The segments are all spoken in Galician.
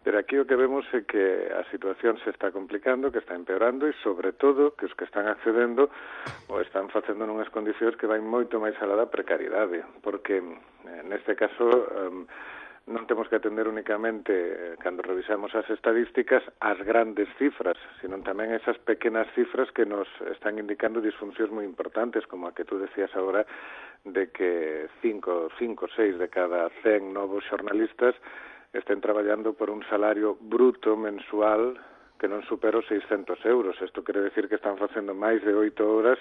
Pero aquí o que vemos é que a situación se está complicando, que está empeorando e, sobre todo, que os que están accedendo o están facendo nunhas condicións que vai moito máis alá da precariedade, porque neste caso non temos que atender únicamente, cando revisamos as estadísticas, as grandes cifras, sino tamén esas pequenas cifras que nos están indicando disfuncións moi importantes, como a que tú decías agora, de que 5, 6 de cada 100 novos xornalistas estén traballando por un salario bruto mensual que non supera os 600 euros. Isto quere decir que están facendo máis de 8 horas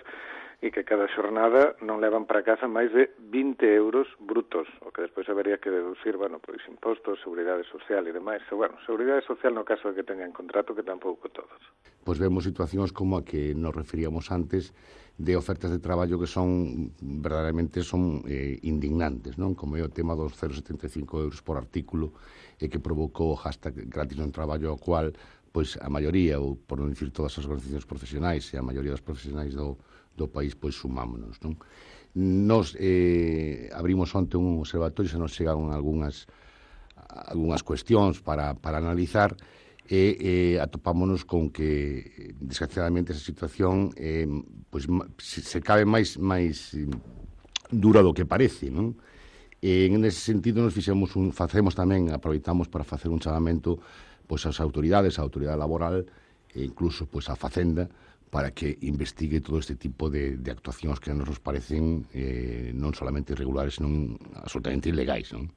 e que cada xornada non levan para casa máis de 20 euros brutos, o que despois habería que deducir, pois impostos, seguridade social e demais. Seguridade social no caso de que tengan contrato, que tampouco todos. Pois vemos situacións como a que nos referíamos antes, de ofertas de traballo que son verdadeiramente indignantes, non? Como é o tema dos 0,75 euros por artículo que provocou o hashtag gratis non traballo, ao cual pois a maioría, ou por non dicir todas as organizacións profesionais e a maioría dos profesionais do país, pois sumámonos, non? Nos abrimos onte un observatorio, se nos chegan algunhas cuestións para analizar, e atopámonos con que desgraciadamente esa situación pois se cabe máis dura do que parece, non? E en ese sentido facemos tamén, aproveitamos para facer un chamamento pois ás autoridades, a autoridade laboral e incluso pois a Facenda, para que investigue todo este tipo de actuacións que nos parecen non solamente irregulares, senón absolutamente ilegais, non?